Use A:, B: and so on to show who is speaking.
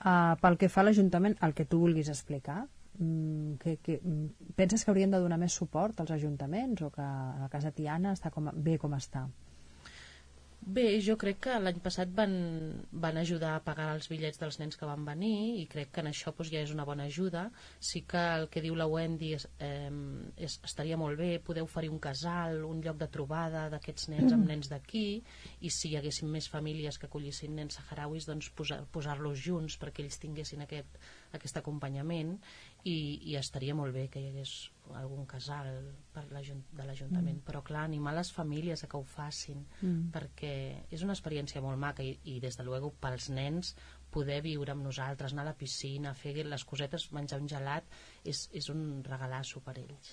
A: Pel que fa a l'Ajuntament, el que tu vulguis explicar, penses que haurien de donar més suport als ajuntaments o que la Casa Tiana està bé com està?
B: Bé, jo crec que l'any passat van ajudar a pagar els bitllets dels nens que van venir i crec que en això ja és una bona ajuda. Sí que el que diu la Wendy estaria molt bé poder oferir un casal, un lloc de trobada d'aquests nens amb nens d'aquí, i si hi haguessin més famílies que acollissin nens saharauis, doncs posar-los junts perquè ells tinguessin aquest acompanyament, i estaria molt bé que hi hagués algun casal de l'Ajuntament, però clar, animar les famílies a que ho facin, perquè és una experiència molt maca i des de luego pels nens poder viure amb nosaltres, anar a la piscina, fer les cosetes, menjar un gelat, és un regalasso per ells.